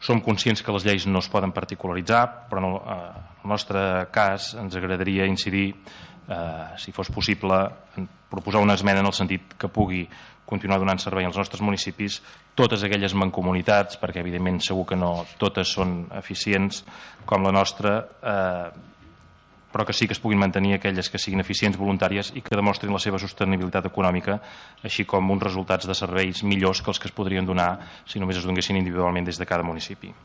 Som conscients que les lleis no es poden particularitzar, però en el nostre cas ens agradaria incidir, si fos possible, en proposar una esmena en el sentit que pugui continuar donant servei als nostres municipis totes aquelles mancomunitats, perquè evidentment segur que no totes són eficients com la nostra, però que sí que es puguin mantenir aquelles que siguin eficients, voluntàries i que demostrin la seva sostenibilitat econòmica, així com uns resultats de serveis millors que els que es podrien donar si només es donessin individualment des de cada municipi.